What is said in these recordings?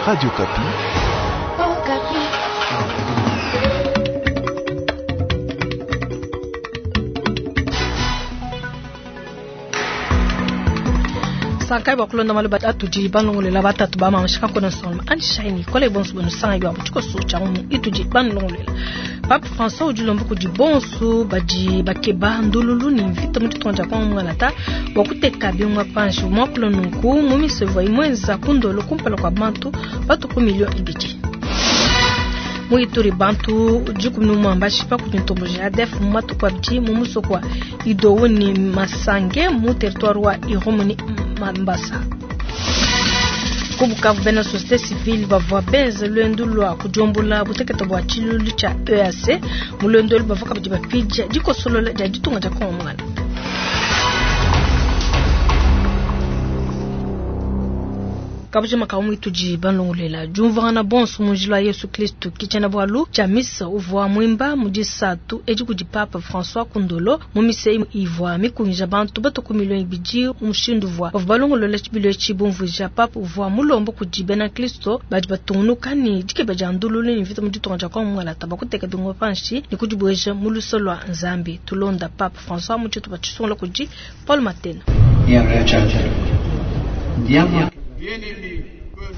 Radio Okapi. Okapi. Sankai bua kulonda malu atudi balongolela batatu ba mama shika kona nsonga anji shaini kole bonso bonu sanga yo tshikoso tshia mu itudi balongolela. Pape François udi ulomba kudi bonso badi bakeba ndululu ne mvita mu ditunga dia Kongo mungalata bua kuteka bingoma panshi muakula nunku mu misa ivua imuenza ku ndolo kumpala kua bantu batu ku milio ibidi. Mu Ituri bantu 11 mbashipa kudi ntomboji ya ADF mu matuku abidi mu musoko wa Idou ne Masange mu territoire wa Irumu ne Mambasa. Ku Bukavu bena société civile bavua benze luendu lua kudiombola butekete bua tshilulu tshia EAC. Mu luendu elu bavua kabidi bapidia dikosolola dia ditunga dia Kongo mungala. Kabujima ka mwitudi balongolela diumvuangana bonso mu njila wa Yesu Kristo ke tshiena-bualu tshia misa uvua muimba mu disatu edi kudi Papa François Kundolo mu misa ivua mikungija bantu batu ku milio ibidi mu mushindu uvua bavua balongolola tshibilu etshi bumvuija. Papa uvua mulomba kudi bena Kristo badi batungunuka ne dikeba dia ndululu ne mvita mu ditunga dia Kongo mungalata bua kuteka bingoma panshi ne kudibueja mu luse lua Nzambi. Tulonda Papa François mu tshitupa tshisungula kudi Paul Matena.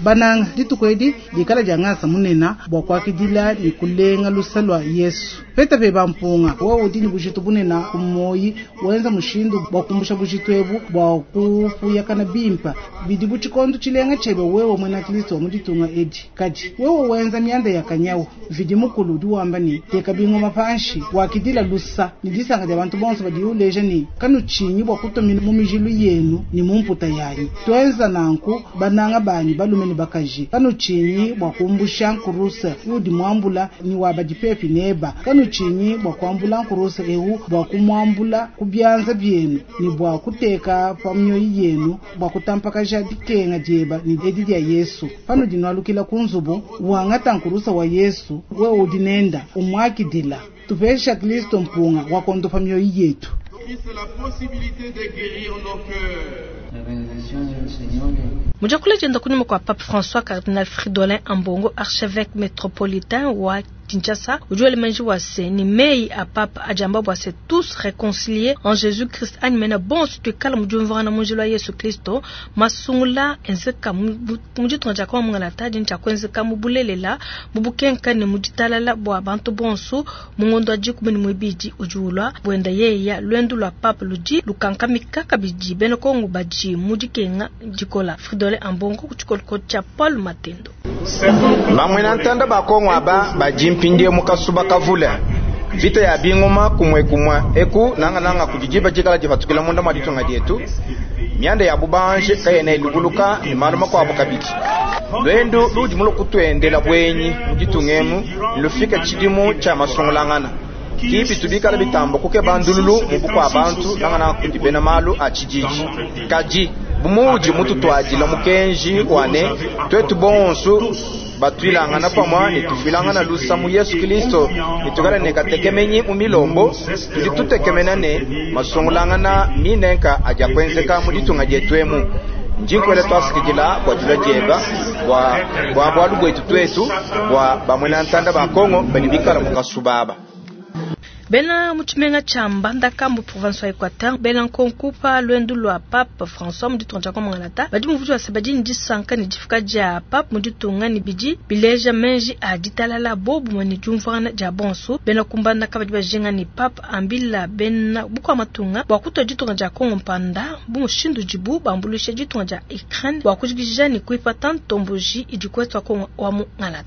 Bananga dituku edi dikala dia ngasa munena bua kuakidila ne kulenga lusa lua Yesu. Peta pe bampunga wewe udi ne bujitu bunena ku moyi, wenza mushindu bua kumbusha bujitu ebu bua kupuyakana bimpa bidi bu tshikondo tshilenga tshiebe wewe muena Kristo wa mu ditunga edi. Kadi wewe wenza mianda ya kanyawu, Mvidi Mukulu udi wamba ne teka bingoma panshi, wakidila lusa ne disanka dia bantu bonso badi uleja ne kanutshinyi bua kutua mu mijilu yenu ne mu mputa yanyi. Tuenza nanku bananga banyi balume ne bakaji, kanutshinyi bua kumbusha nkuruse udi muambula ni wa badi pepi neba, kanutshinyi bua kuambula nkuruse eu bua kumuambula ku bianza bienu ne bua kuteka pa mioyo yenu bua kutampakaja dikenga dieba ne edi dia Yesu. Panudi nwalukila ku nzubu wangata nkurusa wa Yesu wewe udi nenda umuakidila, tupesha Kristo mpunga wa kondopa mioyo yetu. Mu diakula dienda kunyima kua Pape François, Cardinal Fridolin Ambongo, archevêque métropolitain wa Kinshasa, udi wela meji wa se ni meyi a Pape adi amba bua se tous réconciliés en Jésus-Christ anyi mena bonso tuikala mu diumvuangana mu njila wa Yesu Kristo. Masungula enzeka mu ditunga dia Kongo mungalata adi ntshia kuenzeka mu bulelela mu bukenka ne mu ditalala bua bantu bonso mu ngondo wa 12 udi ulua. Buenda yeya luendu lua Pape ludi lukankamika kabidi bena Kongo badi mu dikenga dikola. Fridolin Ambongo ku tshikoloko tshia Paul Matendo. Bamwena ntanda ba Kongo aba badi mpindie mu kasuba kavule mvita ya bingoma kumwe kumwe eku nangananga kudi diba dikala dipatukila munda mwa ditunga dietu mianda ya bubanje kayena ilubuluka ne malu makuabu kabidi. Lwendu ludi mulo kutuendela bwenyi mu ditunga emu lufika tshidimu tshia masungulangana kipi tubikala bitambo kuke bandululu mu bukua bantu nangananga kudi bena malu a tshididi. Kadi bumuudi mututwadila mukenji wane twetu bonso batuilangana pamwa ne tufuilangana lusa mu Yesu Kristo ne tukala ne katekemenyi mu milombo tudi tutekemena ne masungulangana minenka aja kuenzeka mu ditunga dietu emu. Njinkwele twasikidila bua dilua dieba bua bualu bwetu twetu bua bamwena ntanda ba Kongo badi bikala mu kasubaba. Bena mu tshimenga tshia Mbandaka mu province wa Equateur bena nkonko pa luendu lua Pape François mu ditunga dia Kongo mungalata badi muvudi wa se badi ne disanka ne difika dia Pape mu ditunga ne bidi bileja menji a ditalala bobumwe ne diumvuangana dia bonso. Bena ku Mbandaka badi bajinga ne Pape ambila bena bukua matunga bua kutua ditunga dia Kongo mpanda bu mushindu udibu bambuluisha ditunga dia Ukraine bua kujikija ne kuipata ntomboji idi kwetu wa Kongo wa mungalata.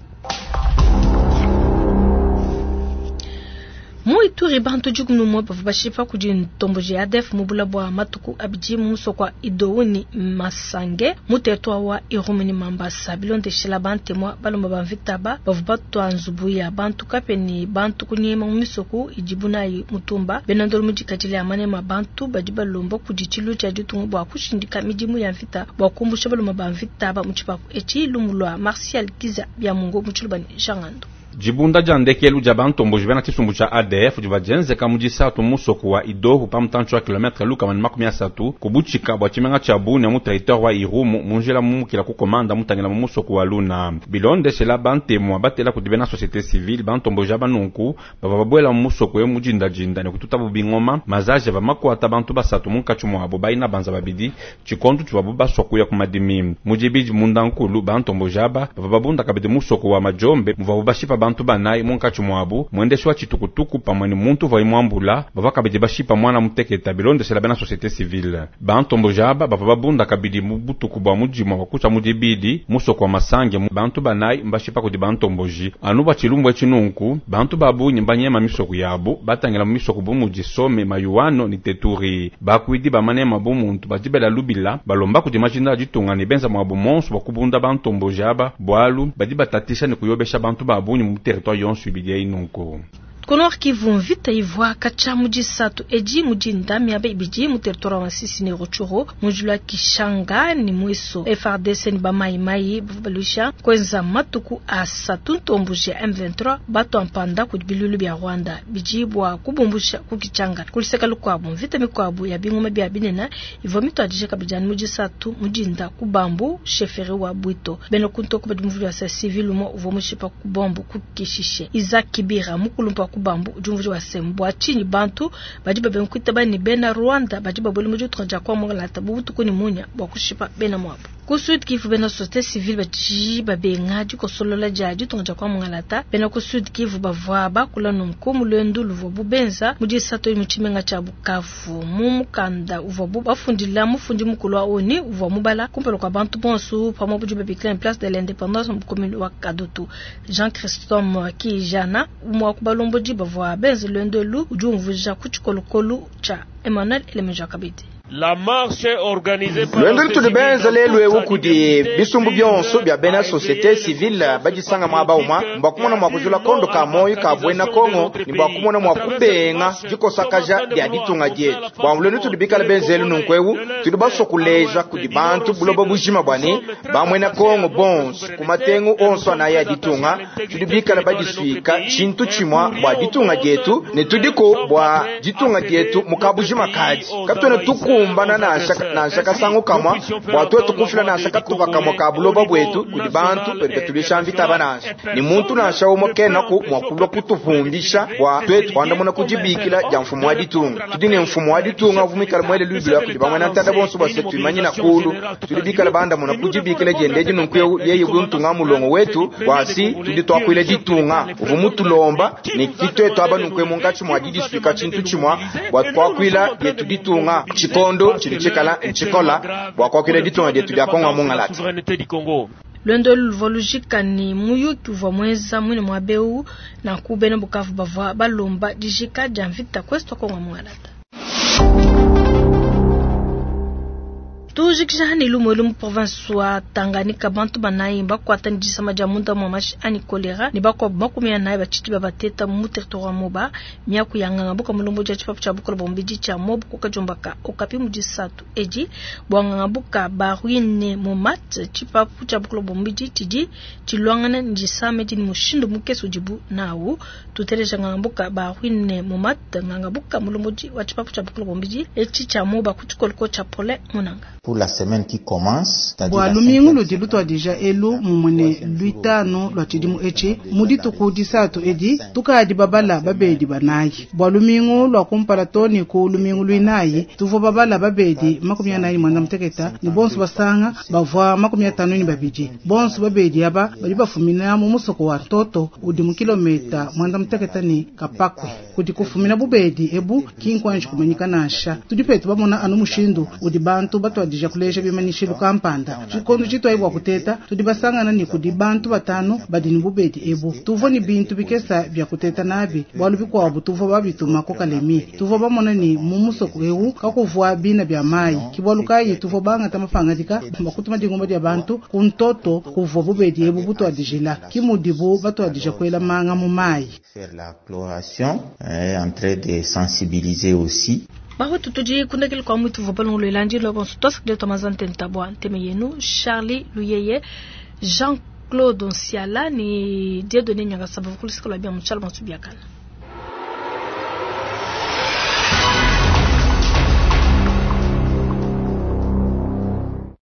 Mu Ituri bantu 11 bavua bashipa kudi ntomboji ya ADF mu bula bua matuku abidi mu musoko wa Idou ne Masange mu territoire wa Irumu ne Mambasa. Bilondeshela bantemwa balomba ba mvita ba bavua batua nzubu ya bantu kape ne bantu kunyema mu misoko idibu nayi mutumba. Bena ndolo mu dikadile ya manema bantu badi balomba kudi tshilu tshia ditunga bua kushindika midimu ya mvita bua kumbusha balomba ba mvita ba mu tshipapu etshi. Lumu lua Martial Kiza bya Mungo mu tshiluba ne Jean Ngando. Dibunda dia ndekelu dia bantomboji bena tshisumbu tshia ADF divua dienzeka mu disatu mu musoko wa Idohu pa mutantshi wa kilometre 130 ku butshika bua tshimenga tshia Bunia mu territoire wa Irumu mu njila mumukila ku Komanda mutangila mu musoko wa Luna. Bilondeshela bantemua batela kudi bena societe civile, bantomboji aba nunku bavua babuela mu musoko eu mu dindadinda ne kututabu bingoma. Mazaji avua makuata bantu basatu munkatshi muabu baina banza babidi tshikondo tshivuabu basua kuya ku madimi. Mu dibidi mundankulu, bantomboji aba bavua babunda kabidi musoko wa Majombe muvuabu bashipa bantu banayi munkatshi muabu muendeshi wa tshitukutuku pamue ne muntu uvuaye muambula. Bavua kabidi bashipa muana muteketa bilondeshela bena societe civile. Bantomboji aba bavua babunda kabidi mu butuku bua mudimu wa kutshia mu dibidi musoko wa Masange bantu banayi mbashipa kudi bantomboji. Anu bua tshilumbu etshi nunku bantu ba bungi mbanyema misoko yabu batangila mu misoko bu mudi Some, Mayuano ne Teturi. Bakuidi ba manema bu muntu badi bela lubila balomba kudi majinda a ditunga ne benza muabu monso bua kubunda bantomboji aba bualu badi batatisha ne kuyobesha bantu ba bungi mu territoire yonso ibidi eyi nunku. Ku Nord Kivu, mvita ivua katshia mu disatu edi mu dinda miaba ibidi mu territoire wa Masisi ne Rutshuru mu njila wa Kishanga ne Mweso. FARDC ne ba Mai Mai bavua baluisha kuenza matuku asatu ntomboji ya M23 batua mpanda kudi biluilu bia Rwanda bidi bua kubumbusha ku Kitshanga. Ku luseke lukuabu, mvita mikuabu ya bingoma bia binene ivua mituadije kabidi anu mu disatu mu dinda ku Bambu, chefferie wa Bwito. Bena ku ntoko badi muvua wa civil umue uvua mushipa ku bombe ku Kishishe. Isaac Kibira mukulumpa wa ku Bambu udi umvuija wa se, bua tshinyi bantu badi babenga kuitaba ne bena Rwanda badi babuela mu ditunga dia Kongo bu butuku ne munya bua kushipa bena muabu. Ku Sud Kivu, bena societe civile badi babenga dikosolola dia ditunga dia Kongo. Bena ku Sud Kivu bavua bakula nunku mu luendu luvuabu benza mu disatu mu tshimenga tshia Bukavu. Mu mukanda uvuabu bafundila mufundi mukulu wa ONU uvua mubala kumpala kua bantu bonso pamue budi babikila place de l'indépendance mu commune wa Kadutu. Jean Christome Kijana umue wa ku balombodi bavua benze luendu elu udi umvuija ku tshikolokolo tshia Emmanuel Elemeja kabidi. La marche organisée par Luendu lutudi benza lelu ewu kudi bisumbu bionso bia bena societe civile badisanga muaba umue mbua kumona mua kujula kondo ka moyo ka buena Kongo ne bua kumona mua kubenga dikosakaja dia ditunga dietu. Bua luendu tudi bikala benzelu nunku ewu tudi basua kuleja kudi bantu buloba bujima bua ne bamuena Kongo bonso ku matengu onso anayi ya ditunga tudi bikala badisuika tshintu tshimue bua ditunga dietu ne tudiko bua ditunga dietu mu kabujima kadi katuena tukumbana nansha nansha kasangu kamwa bua tuetu kufila nansha katupa kamwa ka buloba bwetu kudi bantu badi batulisha mvita ba nansha ni muntu nansha umue kenaku mua kulua kutupumbisha bua tuetu kuandamuna kudibikila dia mfumu wa ditunga. Tudi ne mfumu wa ditunga uvua muikale muele lubila kudi bamwena ntanda bonso bua se tuimanyina kulu tudi bikale bandamuna kudibikila diende nunku eu yeye buntunga mulongo wetu bwasi tudi tuakuila ditunga uvua mutulomba ne kituetu aba nunku munkatshi mua didisuika tshintu tshimue bua kuakuila dietu ditunga tshikondo tshidi tshikala ntshikola bua kuakuila ditunga dietu dia Kongo mungalata. Souveraineté du Congo. Luendu elu luvua lujika ne muyuki uvua muenza muine muaba eu nanku bena Bukavu bavua balomba dijika dia mvita ku Est wa Kongo mungalata. Tujikija ne lumu elu mu province wa Tanganyika bantu banayi bakuata ne disama dia munda mua mashi anyi kolera ne bakuabu 40 batshidi babateta mu territoire wa Moba. Miaku ya nganga buka mulombo dia tshipapu tshia bukola bua mubidi tshia Moba ku kadiomba ka Okapi mu disatu edi bua nganga buka baruine momat tshipapu tshia bukola bua mubidi tshidi tshilwangana ne disama edi ne mushindu mukese udibu nawu. Tuteleja nganga buka baruine momat nganga buka mulombo wa tshipapu tshia bukola bua mubidi etshi tshia Moba ku tshikoloko tshia Paulin Munanga. Pour la semaine qui commence, c'est-à-dire bua la lumingu cinquième ludi lutuadija elu mumue luitanu lua tshidimu etshi mu dituku disatu edi tukadi babala babedi banayi bua lumingu lua kumpala to ne ku lumingu luinayi tuvua babala babedi 48 ne bonso basanga bavua 52 bonso babedi aba badi bafumina mu musoko wa Ntoto udi mu kilomita 86 ne Kapakwe kudi kufumina bubedi ebu kinkwanji kumanyika nansha tudi petu bamona anu mushindu udi bantu batuadija kuleja bimanyishilu kampanda tshikondo tshitwayi bua kuteta tudi basangana ne kudi bantu batanu badi ne bubedi ebu tuvua ne bintu bikesa bia kuteta nabi bualu bikuabu tuvua babituma ku Kalemi tuvua bamona ne mu musoko ewu kakuvua bina bia mayi ke bualu kayi tuvua bangata mapangadika bua kutuma dingumba dia bantu ku Ntoto kuvua bubedi ebu butuadijila ke mudibu batuadija kuela manga mu mayi. Faire la chloration, en train de sensibiliser aussi. Bahutu tudi kundekele kwa mwitu vua balongolwela ndilo bonso twasakile twamazantenta bua nteme yenu Charlie Luyeye Jean Claude Nsiala ne Dieudonné Nyangasaba ku luseke lua bia mu tshiala Biakana.